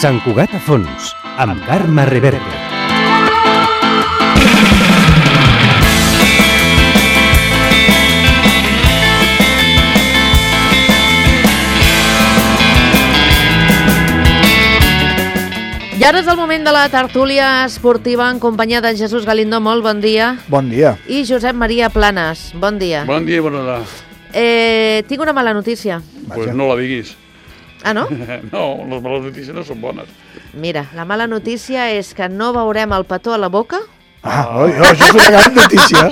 Sant Cugat a fons, amb Carme Reverte. I ara és el moment de la tertúlia esportiva en companyia de Jesús Galindo. Molt bon dia. Bon dia. I Josep Maria Planes. Bon dia. Bon dia i bona hora. Tinc una mala notícia. Pues no la diguis. Ah, no? No, les males notícies no són bones. Mira, la mala notícia és que no veurem el petó a la boca. Això és una gran notícia.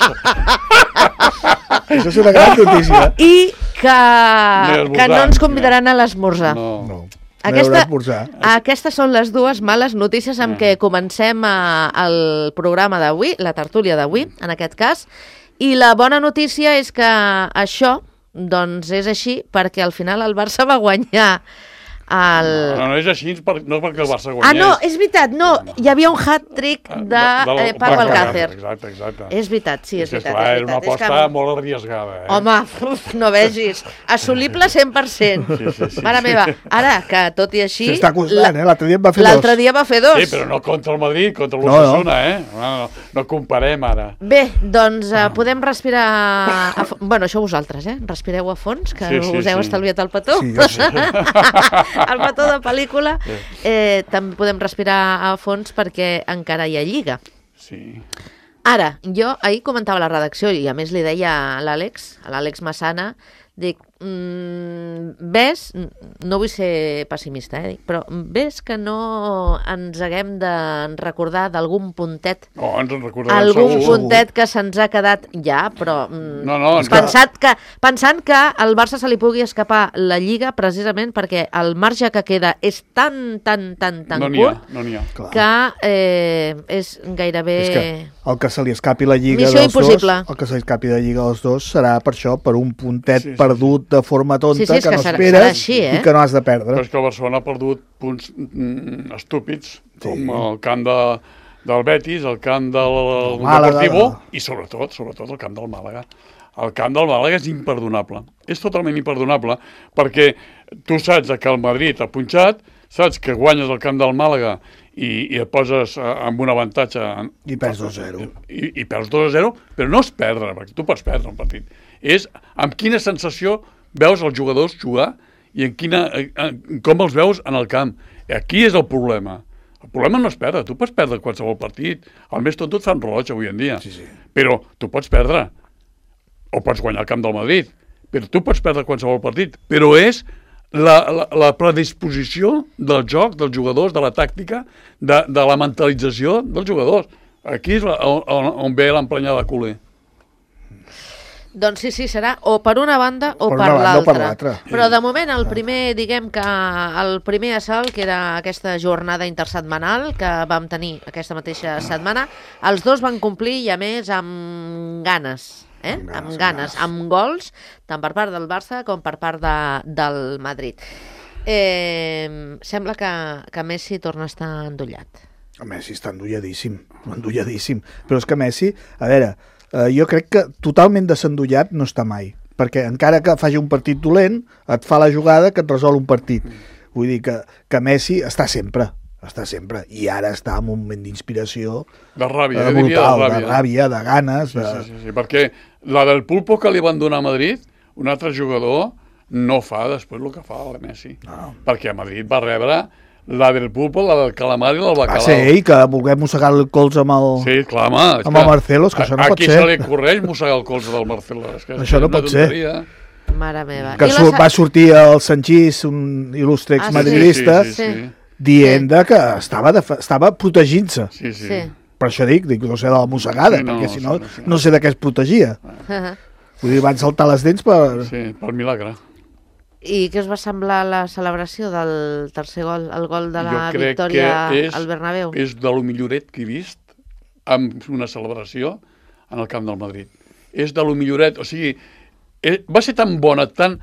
Això és una gran notícia. I que no ens convidaran a l'esmorzar. No. Aquestes són les dues males notícies amb què comencem el programa d'avui, la tertúlia d'avui, en aquest cas. I la bona notícia és que això, doncs, és així perquè al final el Barça va guanyar No és així, no és perquè el Barça guanyés. Ah, no, és veritat, no. Hi havia un hat-trick de Paco Alcácer. Exacte. És veritat, sí, és veritat. És una aposta molt arriesgada. Home, no vegis. Assolible 100%. Sí. Mare meva, ara que tot i així... S'està costant, l'altre dia en va fer dos. L'altre dia va fer dos. Sí, però no contra el Madrid, contra l'Osasuna, No comparem ara. Bé, doncs podem respirar... Bueno, això vosaltres, respireu a fons, que us heu estalviat el petó. Sí, jo sí. El petó de pel·lícula. També podem respirar a fons perquè encara hi ha lliga. Sí. Ara, jo ahir comentava a la redacció i a més li deia a l'Àlex Massana, dic, ves, no vull ser pessimista, però ves que no ens haguem de recordar d'algun puntet, ens en recordarem segur. Puntet que se'ns ha quedat ja, però pensant que al Barça se li pugui escapar la Lliga precisament perquè el marge que queda és tan curt que és gairebé... És que el que se li escapi la Lliga missió dels impossible. Dos, el que se li escapi la Lliga dels dos serà per això, per un puntet perdut de forma tonta que no serà esperes així, i que no has de perdre. Però és que el Barcelona ha perdut punts estúpids, com el camp del Betis, el camp del Deportivo i sobretot el camp del Màlaga. El camp del Màlaga és imperdonable. És totalment imperdonable perquè tu saps que el Madrid ha punxat, saps que guanyes el camp del Màlaga i et poses amb un avantatge... I perds 2-0. I perds 2-0, però no és perdre, perquè tu pots perdre un partit. És amb quina sensació veus els jugadors jugar i com els veus en el camp. Aquí és el problema. El problema no és perdre. Tu pots perdre qualsevol partit. El més tonto et fan rellotge avui en dia. Sí. Però tu pots perdre. O pots guanyar el camp del Madrid. Però tu pots perdre qualsevol partit. Però és la predisposició del joc, dels jugadors, de la tàctica, de la mentalització dels jugadors. Aquí és on ve l'emprenyada culer. Doncs sí, serà o per una banda o per l'altra. Però de moment el primer, diguem que el primer assalt, que era aquesta jornada intersetmanal que vam tenir aquesta mateixa setmana, els dos van complir i a més amb ganes. Amb ganes, amb gols, tant per part del Barça com per part del Madrid. Sembla que Messi torna a estar endollat. Messi està endolladíssim. Però és que Messi, a veure, jo crec que totalment desendollat no està mai, perquè encara que faci un partit dolent, et fa la jugada que et resol un partit. Vull dir que Messi està sempre, i ara està en un moment d'inspiració de ràbia, brutal, de ràbia, de ganes. Sí, perquè la del Pulpo que li van donar a Madrid, un altre jugador no fa després el que fa el Messi. No. Perquè a Madrid va rebre la del Pulpo, la del calamar i la del bacalao. Va ser ell que volguem mossegar el colze amb el... Sí, clar, home. Amb el Marcelo, és que això no pot ser. Aquí se li correix mossegar el colze del Marcelo. Això no pot ser. Mare meva. Que va sortir el Sanchís, un il·lustre exmadridista, dient que estava protegint-se. Sí. Per això dic, no sé de la mossegada, perquè si no sé de què es protegia. Vull dir, van saltar les dents per... Sí, pel milagre. I què us va semblar la celebració del tercer gol, el gol de la victòria al Bernabéu? És de lo milloret que he vist amb una celebració en el camp del Madrid. És de lo milloret, o sigui, va ser tan bona, tan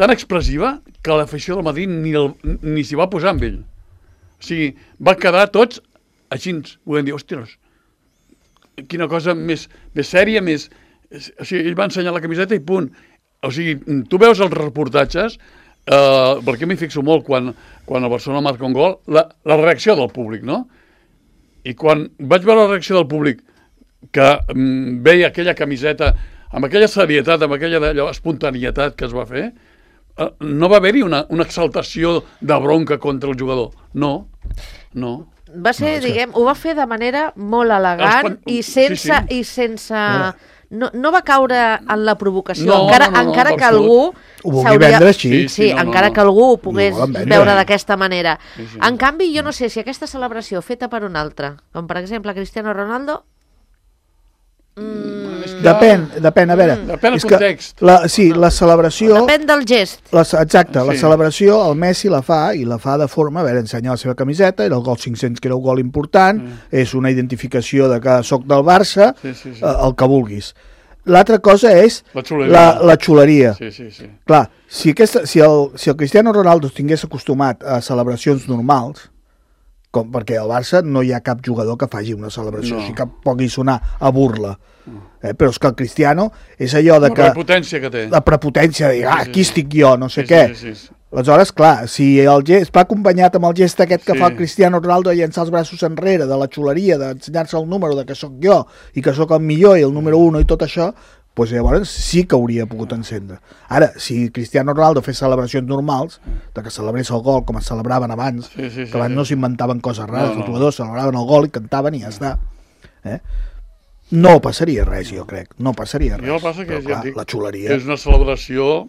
expressiva, que l'afició del Madrid ni s'hi va posar amb ell. O sigui, va quedar tots així, volem dir, ostres, quina cosa més sèria, més... O sigui, ell va ensenyar la camiseta i punt. O sigui, tu veus els reportatges, perquè m'hi fixo molt quan el Barcelona marca un gol, la reacció del públic, no? I quan vaig veure la reacció del públic, que veia aquella camiseta amb aquella serietat, amb aquella espontanietat que es va fer, no va haver-hi una exaltació de bronca contra el jugador. No. Va ser, diguem, ho va fer de manera molt elegant i sense... No va caure en la provocació, encara que algú... Ho vulgui vendre així. Encara que algú ho pogués veure d'aquesta manera. En canvi, jo no sé si aquesta celebració feta per un altre, com per exemple Cristiano Ronaldo... Depèn, a veure. Depèn del context. La celebració... Depèn del gest. Exacte, la celebració el Messi la fa, i la fa de forma, a veure, ensenyar la seva camiseta, era el gol 500, que era un gol important, és una identificació de que soc del Barça, el que vulguis. L'altra cosa és la xuleria. Clar, si el Cristiano Ronaldo tingués acostumat a celebracions normals, perquè al Barça no hi ha cap jugador que faci una celebració així que pugui sonar a burla. Però és que el Cristiano és allò de que... La prepotència que té. La prepotència de dir, aquí estic jo, no sé què. Aleshores, clar, si el gest va acompanyat amb el gest aquest que fa el Cristiano Ronaldo de llançar els braços enrere, de la xuleria, d'ensenyar-se el número, de que sóc jo i que sóc el millor i el número 1 i tot això, doncs llavors sí que hauria pogut encendre. Ara, si Cristiano Ronaldo fes celebracions normals, de que celebrés el gol com es celebraven abans, que abans no s'inventaven coses rares, els jugadors celebraven el gol i cantaven i ja està. No passaria res, jo crec. No passaria res. Jo el passa que, ja et dic, la xuleria... És una celebració,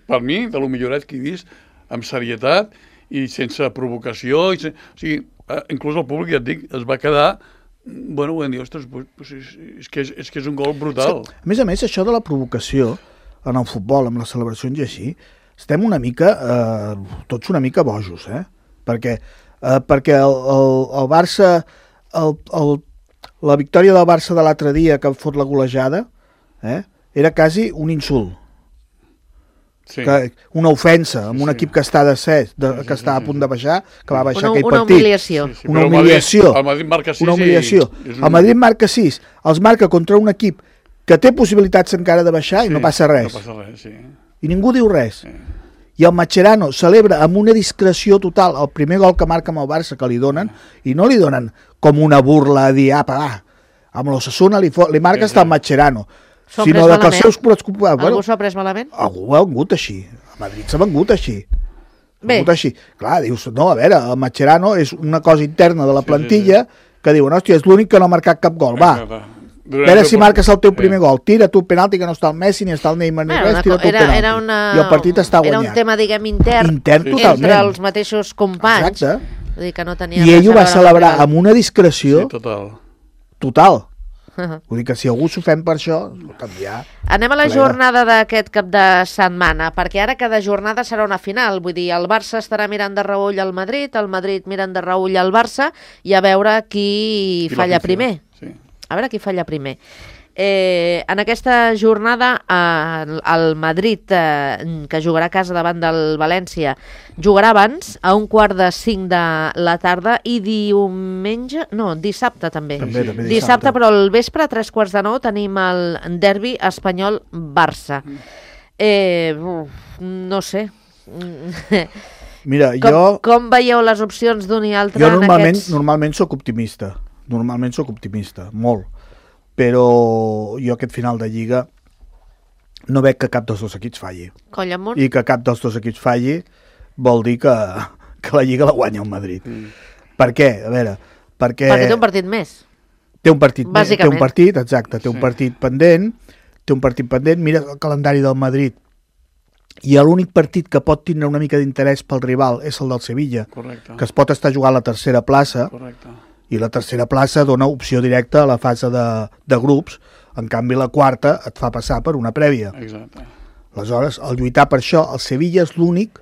per mi, de lo milloret que he vist, amb serietat i sense provocació. O sigui, inclús el públic, ja et dic, es va quedar... Bueno, ho vam dir, ostres, és que és un gol brutal. A més, això de la provocació en el futbol, amb les celebracions i així, estem una mica, tots una mica bojos, perquè el Barça, la victòria del Barça de l'altre dia que fot la golejada, era quasi un insult. Una ofensa amb un equip que està descès, que està a punt de baixar, que va baixar aquell partit. Una humiliació. Una humiliació. El Madrid marca 6. Una humiliació. El Madrid marca 6, els marca contra un equip que té possibilitats encara de baixar i no passa res. I ningú diu res. I el Mascherano celebra amb una discreció total el primer gol que marca amb el Barça que li donen, i no li donen com una burla a dir, amb l'Osasuna li marca hasta el Mascherano, sinó que els seus preocupats... Algú s'ho ha pres malament? Algú ha vengut així. A Madrid s'ha vengut així. Clar, dius, no, a veure, el Mascherano és una cosa interna de la plantilla que diuen, hòstia, és l'únic que no ha marcat cap gol, va. A veure si marques el teu primer gol. Tira tu el penalti, que no està el Messi, ni està el Neymar, ni res, tira tu el penalti. I el partit està guanyat. Era un tema, diguem, intern entre els mateixos companys. Exacte. I ell ho va celebrar amb una discreció total. Vull dir que si algú s'ofèn per això, canviar. Anem a la jornada d'aquest cap de setmana, perquè ara cada jornada serà una final. Vull dir, el Barça estarà mirant de reüll al Madrid, el Madrid mirant de reüll al Barça, i a veure qui falla primer. A veure qui falla primer. En aquesta jornada el Madrid, que jugarà a casa davant del València, jugarà abans a 4:45 de la tarda, i dissabte també. Dissabte, però al vespre a 8:45 tenim el derbi espanyol-Barça. No sé. Mira, com veieu les opcions d'un i altre? Jo normalment soc optimista. Molt. Però jo aquest final de Lliga no veig que cap dels dos equips falli. I que cap dels dos equips falli vol dir que la Lliga la guanya el Madrid. Per què? A veure, perquè té un partit més. Té un partit pendent. Mira el calendari del Madrid, i l'únic partit que pot tindre una mica d'interès pel rival és el del Sevilla, que es pot estar jugant a la tercera plaça. I la tercera plaça dona opció directa a la fase de grups, en canvi la quarta et fa passar per una prèvia. Aleshores, al lluitar per això, el Sevilla és l'únic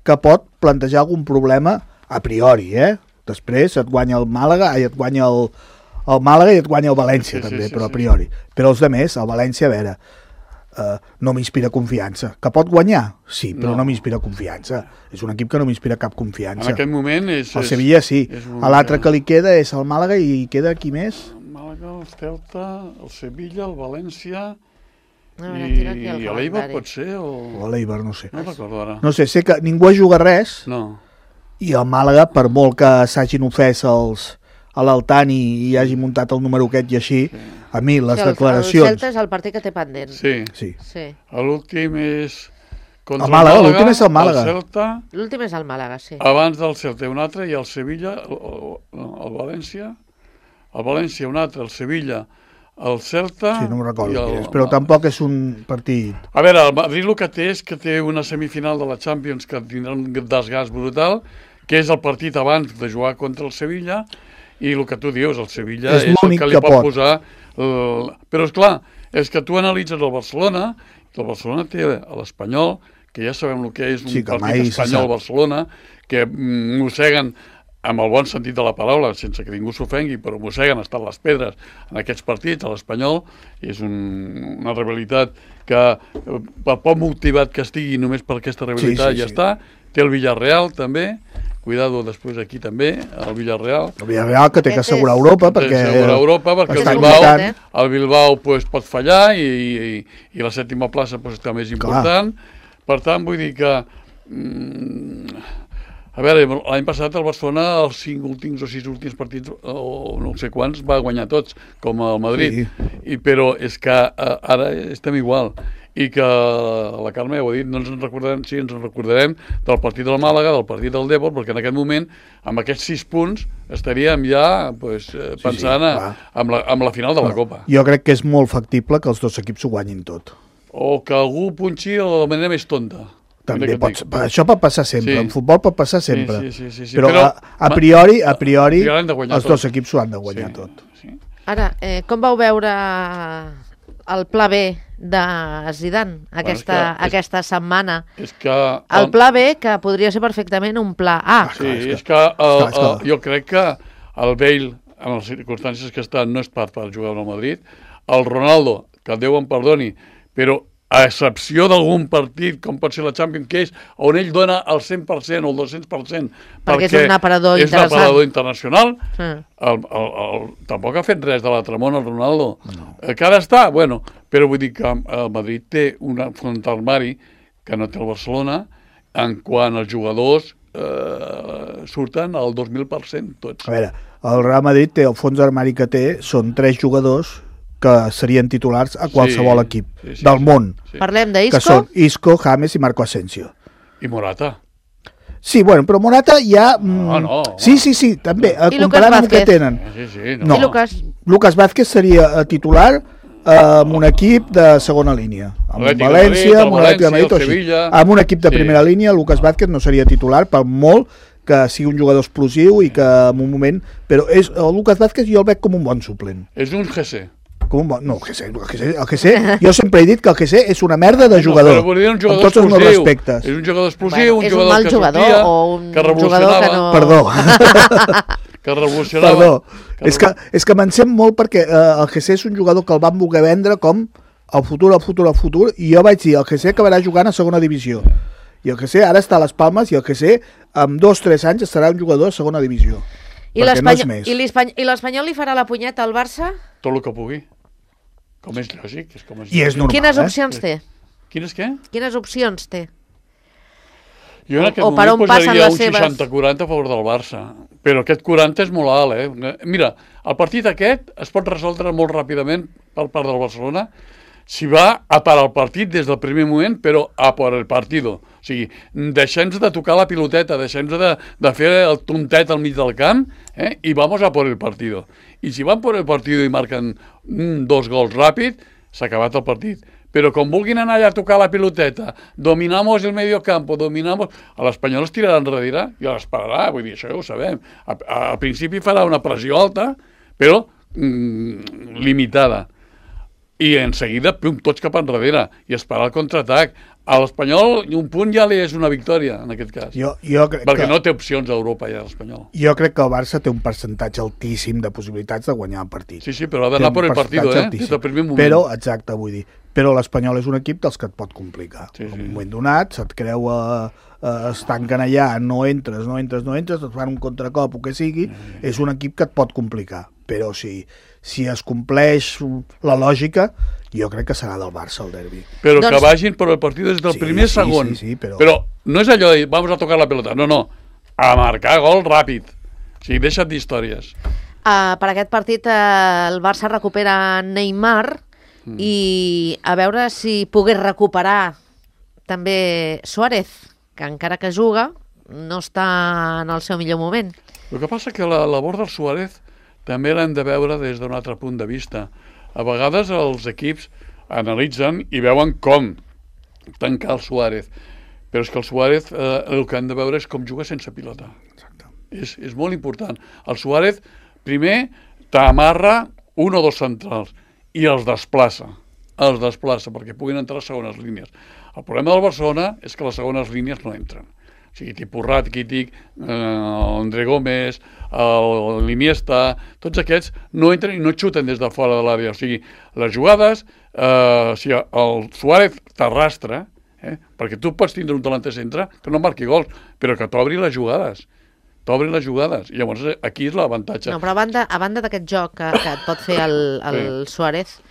que pot plantejar algun problema a priori, Després et guanya el Màlaga, et guanya el Màlaga i et guanya el València també, però a priori. Però els altres, el València, a veure, no m'inspira confiança. Que pot guanyar? Sí, però no m'inspira confiança. És un equip que no m'inspira cap confiança. En aquest moment és... El Sevilla sí. L'altre que li queda és el Màlaga, i queda qui més? El Màlaga, el Celta, el Sevilla, el València... I a l'Eibar pot ser o... A l'Eibar, no sé. No recordo ara. No sé que ningú juga res i el Màlaga, per molt que s'hagin ofès a l'Altani i hagi muntat el número aquest i així, a mi les declaracions... El Celta és el partit que té pendent. Sí. L'últim és... El Màlaga, l'últim és el Màlaga. L'últim és el Màlaga, sí. Abans del Celta un altre i el Sevilla, el València, un altre, el Sevilla, el Celta... Sí, no me'n recordo qui és, però tampoc és un partit... A veure, el Madrid el que té és que té una semifinal de la Champions que tindrà un desgast brutal, que és el partit abans de jugar contra el Sevilla, i el que tu dius, el Sevilla és el que li pot posar... Però, esclar, és que tu analitzes el Barcelona, i el Barcelona té l'Espanyol, que ja sabem el que és un partit Espanyol-Barcelona, que mosseguen, amb el bon sentit de la paraula, sense que ningú s'ofengui, però mosseguen, estan les pedres en aquests partits, a l'Espanyol, és una rivalitat que, per poc motivat que estigui només per aquesta rivalitat, ja està. Té el Villarreal, també, cuidado després aquí també, el Villarreal. El Villarreal que té que assegurar Europa, perquè el Bilbao pot fallar i la sèptima plaça està més important. Per tant, vull dir que... A veure, l'any passat el Barcelona, els 5 últims o 6 últims partits, o no sé quants, va guanyar tots, com el Madrid. Però és que ara estem igual. I que la Carme ja ho ha dit, no ens en recordarem, sí, ens en recordarem del partit del Màlaga, del partit del Dèpor, perquè en aquest moment, amb aquests 6 punts, estaríem ja pensant en la final de la Copa. Jo crec que és molt factible que els dos equips ho guanyin tot. O que algú punxi de la manera més tonta. També això pot passar sempre, en futbol pot passar sempre. Però a priori els dos equips ho han de guanyar tot. Ara, com vau veure el pla B de Zidane aquesta setmana? El pla B, que podria ser perfectament un pla A. Sí, és que jo crec que el Bale, en les circumstàncies que està, no és per jugar al Madrid. El Ronaldo, que Déu em perdoni, però a excepció d'algun partit, com pot ser la Champions, que és on ell dona el 100% o el 200%, perquè és un aparador internacional, tampoc ha fet res de l'altre món el Ronaldo. Que ara està, bueno, però vull dir que el Madrid té un fons d'armari que no té el Barcelona, en quant els jugadors surten al 2.000% tots. A veure, el Real Madrid té el fons d'armari que té, són 3 jugadors que serien titulars a qualsevol equip del món. Parlem d'Isco? Que són Isco, James i Marco Asensio. I Morata. Sí, bueno, però Morata ja... Sí, també, comparant amb el que tenen. I Lucas Vázquez seria titular amb un equip de segona línia. Amb València, amb l'Atlètic de Madrid o així. Amb un equip de primera línia, Lucas Vázquez no seria titular, per molt que sigui un jugador explosiu i que en un moment... Però el Lucas Vázquez jo el veig com un bon suplent. És un GC. No, el GC, jo sempre he dit que el GC és una merda de jugador, amb tots els meus respectes. És un jugador explosiu, un jugador que sortia, que revolucionava. Perdó. Que revolucionava. Perdó. És que me'n sent molt perquè el GC és un jugador que el van voler vendre com el futur, i jo vaig dir, el GC acabarà jugant a segona divisió. I el GC ara està a les Palmes i el GC amb 2-3 anys serà un jugador a segona divisió. I l'Espanyol li farà la punyeta al Barça? Tot el que pugui. Com és lògic. I és normal. Quines opcions té? Quines què? Quines opcions té? Jo en aquest moment posaria un 60-40 a favor del Barça. Però aquest 40 és molt alt, Mira, el partit aquest es pot resoldre molt ràpidament per part del Barcelona si va a parar el partit des del primer moment, però a por el partido. O sigui, deixem-nos de tocar la piloteta, deixem-nos de fer el tontet al mig del camp, i vamos a por el partido. I si van por el partido i marquen 2 gols ràpid, s'ha acabat el partit. Però com vulguin anar allà a tocar la piloteta, dominamos el medio campo, a l'Espanyol es tirarà enrere i l'esperarà, vull dir, això ja ho sabem. Al principi farà una pressió alta, però limitada. I en seguida, tots cap enrere, i esperar el contraatac. A l'Espanyol, un punt ja li és una victòria, en aquest cas. Perquè no té opcions a Europa, ja, l'Espanyol. Jo crec que el Barça té un percentatge altíssim de possibilitats de guanyar el partit. Sí, però ha d'anar per el partit, des del primer moment. Però, exacte, vull dir, però l'Espanyol és un equip dels que et pot complicar. En un moment donat, se't creu es tanquen allà, no entres, et fan un contracop o que sigui, és un equip que et pot complicar. però si es compleix la lògica, jo crec que serà del Barça el derbi. Però que vagin per el partit des del primer segon. Sí, però no és allò de vamos a tocar la pelota, no, a marcar gol ràpid. O sigui, deixa't d'històries. Per aquest partit el Barça recupera Neymar i a veure si pogués recuperar també Suárez, que encara que juga no està en el seu millor moment. El que passa que la labor del Suárez també l'hem de veure des d'un altre punt de vista. A vegades els equips analitzen i veuen com tancar el Suárez, però és que el Suárez el que han de veure és com juga sense pilota. Exacte. És molt important. El Suárez primer t'amarra un o dos centrals i els desplaça perquè puguin entrar a segones línies. El problema del Barcelona és que les segones línies no entren. O sigui, tipus Rakitic, André Gómez, l'Iniesta, tots aquests no entren i no xuten des de fora de l'àrea. O sigui, les jugades, el Suárez t'arrastra, perquè tu pots tindre un delanter centre que no marqui gols, però que t'obri les jugades. I llavors aquí és l'avantatge. No, però a banda d'aquest joc que et pot fer el Suárez,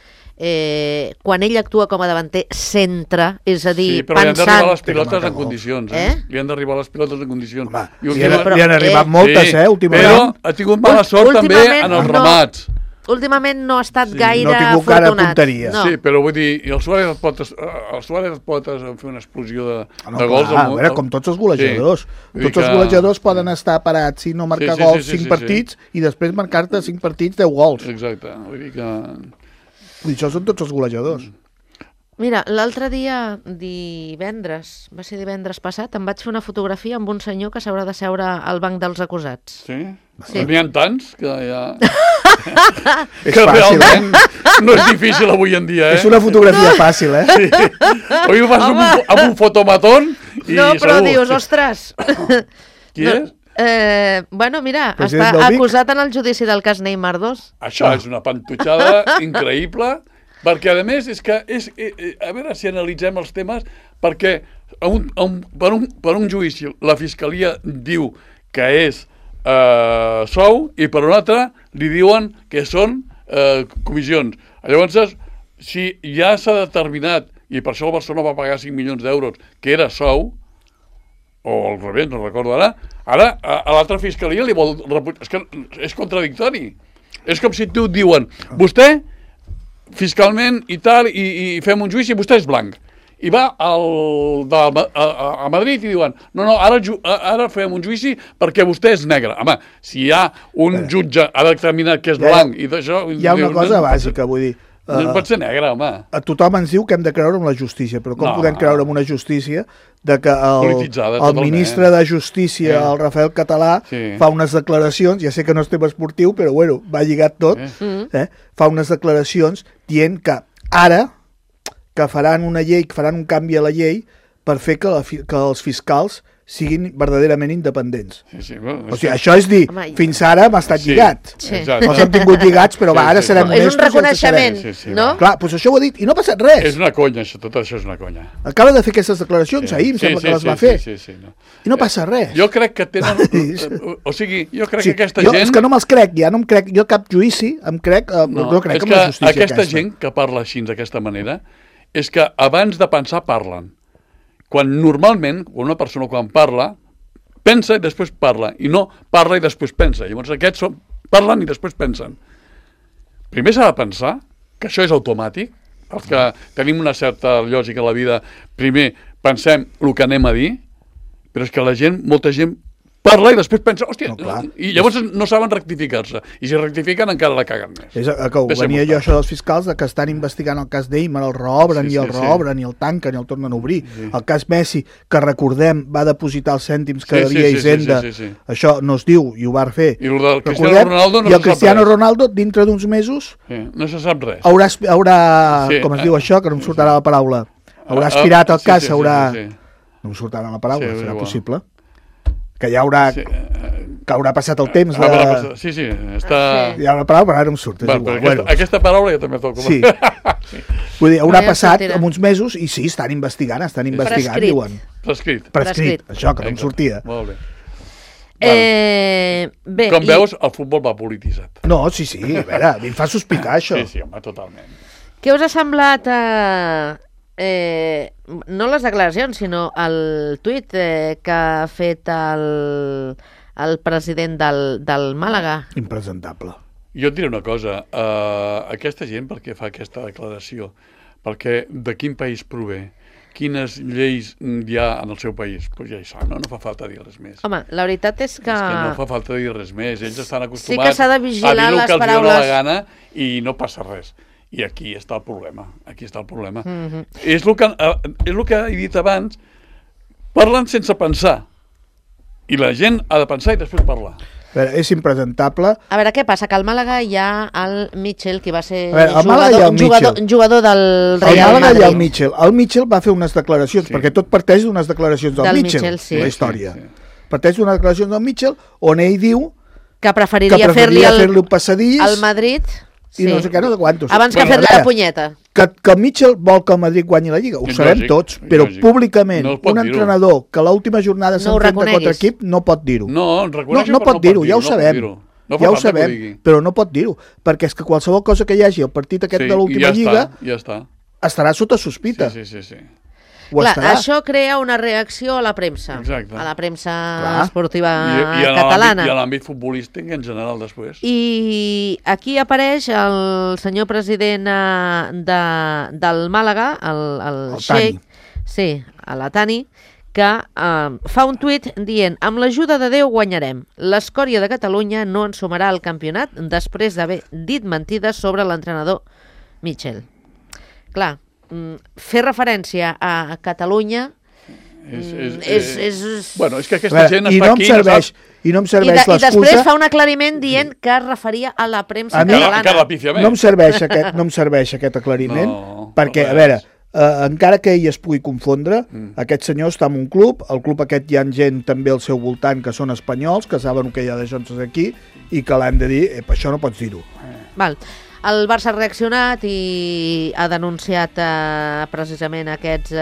quan ell actua com a davanter centre, és a dir, sí, però pensant... li han d'arribar les pilotes en condicions. Li han d'arribar les pilotes en condicions. Home, li han arribat moltes, últimament. Però ha tingut mala sort també en els remats. Últimament no ha estat gaire no ha tingut afortunat. Cara punteria. No. Sí, però vull dir, el Suárez pot fer una explosió de gols. A veure, com tots els golejadors. Sí. Tots els golejadors poden estar parats si no marcar gols 5 partits i després marcar-te 5 partits 10 gols. Exacte. Vull dir que... Això són tots els golejadors. Mira, l'altre dia, va ser divendres passat, em vaig fer una fotografia amb un senyor que s'haurà de seure al banc dels acusats. Sí? N'hi ha tants que ja... És que fàcil, realment no és difícil avui en dia, És una fotografia fàcil, Sí. Avui ho fas amb un fotomatón i no, però segur. dius, ostres... Qui és? Bueno, mira, està acusat en el judici del cas Neymar 2. Això és una pantutxada increïble, perquè a més és que a veure si analitzem els temes, perquè per un judici la fiscalia diu que és sou i per un altre li diuen que són comissions. Llavors, si ja s'ha determinat, i per això el Barcelona va pagar 5 milions d'euros, que era sou, o al revés, no recordo ara a l'altra fiscalia li vol repujar. És que és contradictori. És com si tu et diuen, vostè fiscalment i tal, i fem un judici, vostè és blanc. I va a Madrid i diuen, no, ara fem un judici perquè vostè és negre. Home, si hi ha un jutge ha determinat que és blanc i d'això... Hi ha una cosa bàsica, vull dir, no pot ser negre, home. A tothom ens diu que hem de creure en la justícia, però com podem creure en una justícia de que el ministre de Justícia, el Rafael Català, fa unes declaracions, ja sé que no és tema esportiu, però bueno, va lligat tot, fa unes declaracions dient que ara que faran una llei, que faran un canvi a la llei per fer que els fiscals siguin verdaderament independents. O sigui, això és dir, fins ara hem estat lligats. No s'han tingut lligats, però ara serem honestos. És un reconeixement, no? Clar, doncs això ho ha dit, i no ha passat res. És una conya, tot això és una conya. Acaba de fer aquestes declaracions ahir, em sembla que les va fer. I no passa res. Jo crec que tenen... O sigui, jo crec que aquesta gent... És que no me'ls crec, ja no em crec, jo cap judici em crec, no crec en la justícia aquesta. Aquesta gent que parla així, d'aquesta manera, és que abans de pensar parlen. Quan normalment, una persona quan parla, pensa i després parla, i no parla i després pensa. Llavors aquests parlen i després pensen. Primer s'ha de pensar que això és automàtic, els que tenim una certa lògica a la vida, primer pensem el que anem a dir, però és que la gent, molta gent, parla i després pensa, hòstia, i llavors no saben rectificar-se. I si rectifiquen encara la caguen més. Venia jo això dels fiscals que estan investigant el cas Neymar, el reobren i el reobren i el tanquen i el tornen a obrir. El cas Messi, que recordem, va depositar els cèntims que devia Hisenda. Això no es diu i ho va fer. I el del Cristiano Ronaldo no se sap res. I el Cristiano Ronaldo, dintre d'uns mesos, no se sap res. Haurà, com es diu això, que no em sortirà la paraula, haurà aspirat el cas, haurà... No em sortirà la paraula, serà possible. Que ja haurà, que haurà passat el temps de... Sí, està... Hi ha una paraula, però ara no em surt. Aquesta paraula ja també toca. Sí. Vull dir, haurà passat uns mesos i sí, estan investigant, diuen. Prescrit. Això, que no em sortia. Molt bé. Bé, Com veus, el futbol va polititzat. No, sí, a veure, a mi em fa sospitar això. Sí, home, totalment. què us ha semblat no les declaracions, sinó el tuit que ha fet el president del Màlaga? Impresentable. Jo et diré una cosa, aquesta gent per què fa aquesta declaració? Perquè de quin país prové? Quines lleis hi ha en el seu país? Pues ja hi sap, no fa falta dir res més. Home, la veritat és que... És que no fa falta dir res més. Ells estan acostumats sí que s'ha de vigilar a dir el que els dona la gana i no passa res. I aquí està el problema. És el que he dit abans, parlen sense pensar. I la gent ha de pensar i després parlar. A veure, és impresentable. A veure, què passa? Que al Màlaga hi ha el Mitchell, que va ser jugador del Real Madrid. El Mitchell va fer unes declaracions, perquè tot parteix d'unes declaracions del Mitchell, la història. Parteix d'unes declaracions del Mitchell on ell diu que preferiria fer-li el passadís al Madrid i no sé què, no sé quantos. Abans que fer-li la punyeta. Que el Mitchell vol que el Madrid guanyi la Lliga, ho sabem tots, però públicament un entrenador que l'última jornada s'enfrenta contra equip no pot dir-ho. No pot dir-ho, ja ho sabem. Ja ho sabem, però no pot dir-ho, perquè és que qualsevol cosa que hi hagi al partit aquest de l'última Lliga estarà sota sospita. Sí. Clar, això crea una reacció a la premsa. Exacte. A la premsa esportiva catalana. I a l'àmbit futbolístic en general després. I aquí apareix el senyor president del Màlaga, el Sheikh, sí, l'Atani, que fa un tuit dient: amb l'ajuda de Déu guanyarem. L'escòria de Catalunya no ens sumarà al campionat després d'haver dit mentides sobre l'entrenador Mitchell. Clar, fer referència a Catalunya Bueno, és que aquesta gent està aquí... I no em serveix l'excusa... I després fa un aclariment dient que es referia a la premsa catalana. No em serveix aquest aclariment, perquè, a veure, encara que ell es pugui confondre, aquest senyor està en un club, el club aquest hi ha gent també al seu voltant que són espanyols, que saben que hi ha de Jones aquí, i que l'han de dir, això no pots dir-ho. Val. El Barça ha reaccionat i ha denunciat precisament aquests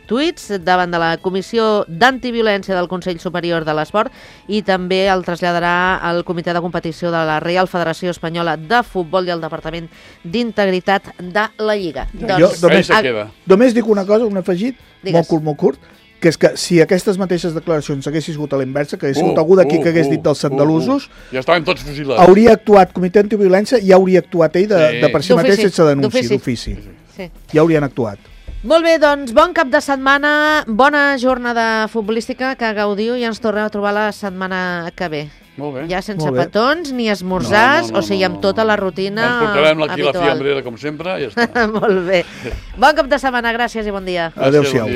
tuits davant de la Comissió d'Antiviolència del Consell Superior de l'Esport i també el traslladarà al Comitè de Competició de la Real Federació Espanyola de Futbol i al Departament d'Integritat de la Lliga. Només dic una cosa, un afegit, molt curt, que és que si aquestes mateixes declaracions haguessin sigut a l'inversa, que hagués sigut algú d'aquí que hagués dit dels andalusos, ja estaven tots fusilats. Hauria actuat Comitè Antiviolència i hauria actuat ell de per si mateix sense denúncia, d'ofici. Ja haurien actuat. Molt bé, doncs bon cap de setmana, bona jornada futbolística, que gaudiu i ens torneu a trobar la setmana que ve. Molt bé. Ja sense petons ni esmorzars, o sigui, amb tota la rutina habitual. Ens portarem aquí la fiambrera, com sempre, i ja està. Molt bé. Bon cap de setmana, gràcies i bon dia. Adéu-siau.